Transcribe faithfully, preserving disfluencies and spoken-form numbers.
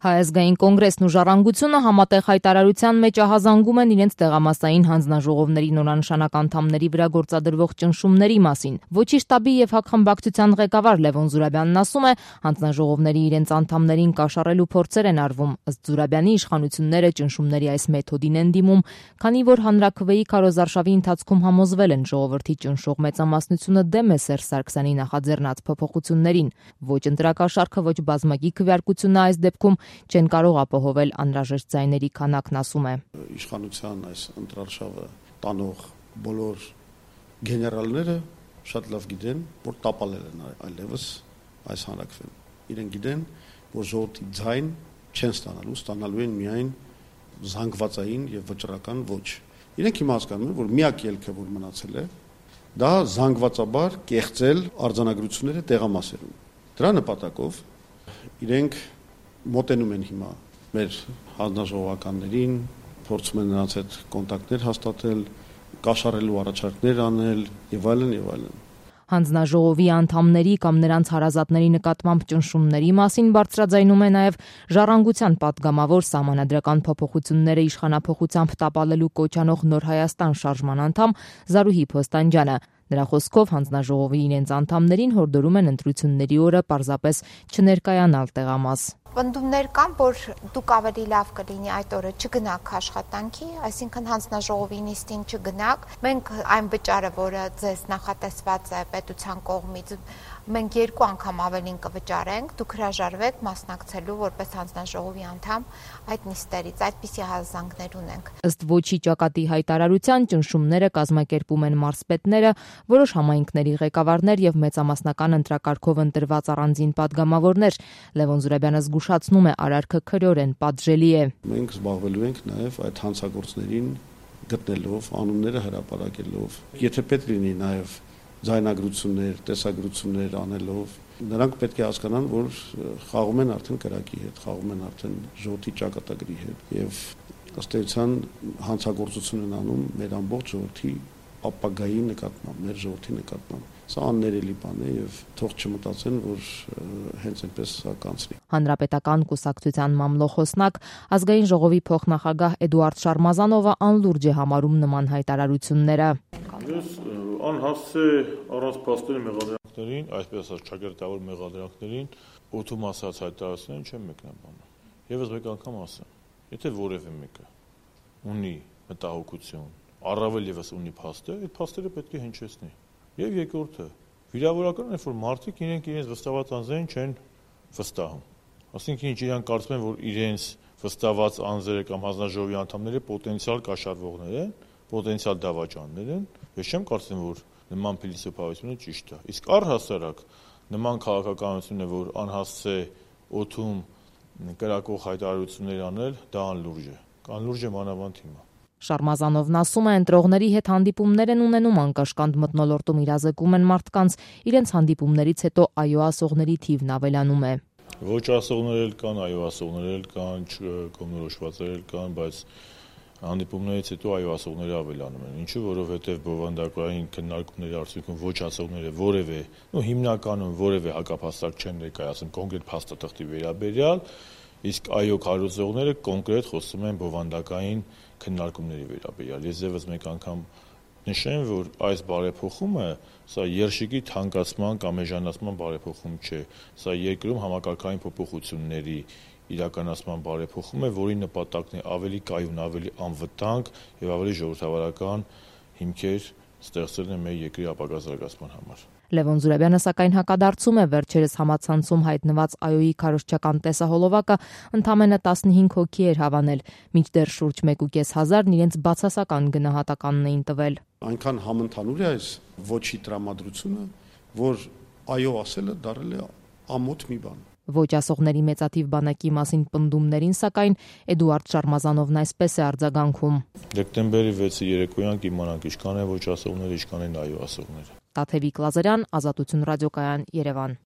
Հայազգային կոնգրեսն ու Ժառանգությունը համատեղ հայտարարության մեջ ահազանգում են իրենց տեղամասային հանձնաժողովների նորանշանակ անդամների վրա գործադրվող ճնշումների մասին։ Ոչի շտաբի եւ հակխմբակցության ղեկավար Լևոն Զուրաբյանն ասում է, հանձնաժողովների իրենց անդամներին կաշառելու փորձեր են արվում, ըստ Զուրաբյանի իշխանությունները ճնշումների այս մեթոդին են դիմում, քանի որ հանրաքվեի քարոզարշավի ընթացքում համոզվել են ժողովրդի ճնշող մեծամասնությունը դեմ է Սերժ Սարգսյանի նախաձեռնած փոփոխություններին։ Ոչ ընտրակաշառքը, ոչ բազմակի քվեարկությունը այս դեպքում չեն կարող ապահովել անհրաժեշտ ձայների քանակն, ասում է։ Իշխանության այս ընտրարշավը տանող բոլոր գեներալները շատ լավ գիտեն, որ տապալել են այլևս այս հանրաքվեն։ Իրենք գիտեն, որ ժողովրդի ձայն չեն ստանալու, ստանալու են միայն զանգվածային եւ վճռական ոչ։ Իրենք հիմա հասկանում են, որ միակ ելքը, որ մնացել է, դա զանգվածաբար կեղծել արձանագրությունները տեղամասերում։ Դրա նպատակով իրենք մոտենում են հիմա մեր հանձնաժողովականներին, փորձում են նրանց հետ կոնտակտներ հաստատել, կաշառելու առաջարկներ անել եւ այլն եւ այլն։ Հանձնաժողովի անդամների կամ նրանց հարազատների նկատմամբ ճնշումների մասին բարձրաձայնում է նաև Ժառանգության պատգամավոր սահմանադրական փոփոխությունները իշխանափոխությամբ տապալելու կոչ անող Նոր Հայաստան շարժման անդամ Զարուհի Փոստանջյանը։ Նրա խոսքով հանձնաժողովի իրենց անդամներին հորդորում են ընտրությունների օրը պարզապես չներկայանալ տեղամաս։ Պնդումներ կան, որ դուք ավելի լավ կլինի այդ օրը չգնաք աշխատանքի, այսինքն հանձնաժողովի նիստին չգնաք։ Մենք այն վճարը, որը ձեզ նախատեսված է պետության կողմից, մենք երկու անգամ ավելին կվճարենք, դուք հրաժարվեք մասնակցելու որպես հանձնաժողովի անդամ այդ նիստերից, այդպիսի հազանգներ ունենք։ Ըստ Ոչի ճակատի հայտարարության ճնշումները կազմակերպում են մարզպետները, որոշ համայնքների ղեկավարներ եւ մեծամասնական ընտրակարգով ընտրված առանձին պատգամավորներ։ Լևոն Զուրաբյանը զգուշացնում է, արարքը քրեորեն պատժելի է։ Մենք զբաղվելու ենք նաեւ այդ հանցագործներին գտնելով, անունները հրապարակելով։ Եթե պետք լինի նաեւ ձայնագրություններ, տեսագրություններ անելով, նրանք պետք է հասկանան, որ խաղում են արդեն կրակի հետ, խաղում են արդեն ժողովրդի ճակատագրի հետ եւ ըստ էության հանցագործություն են անում մեր ամբողջ ժողովրդի ապագայի նկատմամբ, մեր ժողովրդի նկատմամբ։ Սա աններելի բան է եւ թող չմտածեն, որ հենց այնպես սա կանցնի։ Հանրապետական կուսակցության մամլոխոսնակ ազգային ժողովի փոխնախագահ Էդուարդ Շարմազանովը անլուրջ է համարում նման հայտարարությունները։ Ես անհասց է առանց փաստերի մեղադրանքներին, այսպես ասած ճակերտավոր մեղադրանքներին, օդում ասած հայտարարություններին չեմ մեկնաբանում։ Եվս մեկ անգամ ասեմ, եթե որևէ մեկը ունի մտահոգություն, առավել եւս ունի փաստեր, այդ փաստերը պետք է հնչեցնի։ Եվ երկրորդը, վիրավորական է, որ մարդիկ իրենք իրենց վստահված անձերին չեն վստահում։ Այսինքն ինչ իրանք կարծում են, որ իրենց վստահված անձերը կամ հանձնաժողովի անդամները պոտենցիալ կաշառվողներ են, պոտենցիալ դավաճաններ են, ես չեմ կարծում, որ նման փիլիսոփայությունը ճիշտ է։ Իսկ առհասարակ նման քաղաքականություն է, որ անհասց է օդում կրակող հայտարարություններ անել, դա անլուրջ է։ Անլուրջ է մանավանդ հիմա։ Շարմազանովն ասում է, ընտրողների հետ հանդիպումներ են ունենում, անկաշկանդ մթնոլորտում իրազեկում են մարդկանց, իրենց հանդիպումներից հետո այո ասողների թիվն ավելանում է։ Ոչ ասողներ էլ կան, այո ասողներ էլ կան, կողմնորոշվածներ էլ կան, բայց հանդիպումներից հետո այո ասողները ավելանում են։ Ինչու, որովհետև բովանդակային քննարկումների արդյունքում ոչ ասողները որևէ, ու հիմնականում որևէ հակափաստակ չեն ներկայացնում կոնկրետ փաստաթղթի վերաբերյալ, իսկ այո քարոզողները կոնկրետ խոսում են բովանդակային քննարկումների վերաբերյալ։ Ես եւս մեկ անգամ նշեմ, որ այս բարեփոխումը սա երշիկի թանկացման կամ էժանացման բարեփոխում չէ, սա երկրում համակարգային փոփոխությունների իրականացման բարեփոխում է, որի նպատակն է ավելի կայուն, ավելի անվտանգ եւ ավելի ժողովրդավարական հիմքեր ստեղծելն է մեր երկրի ապագա զարգացման համար։ Լևոն Զուրաբյանը սակայն հակադարձում է վերջերս համացանցում հայտնված այոյի քարոզչական տեսահոլովակը ընդամենը տասնհինգ հոգի էր հավանել, մինչդեռ շուրջ մեկ ու կես հազարն իրենց բացասական գնահատականն էին տվել։ Այնքան համընդհանուր է այս ոչի տրամադրությունը, որ այո ասելը դարել է ամոթ մի բան։ Ոչ ասողների մեծաթիվ բանակի մասին պնդումներին սակայն Էդուարդ Շարմազանովն այսպես է արձագանքում։ Դեկտեմբերի վեցի երեկոյան կիմանանք ինչքան է ոչ ասողներ, ինչքան են այո ասողներ։ Տաթևիկ Լազարյան, Ազատություն ռադիոկայան, Երևան։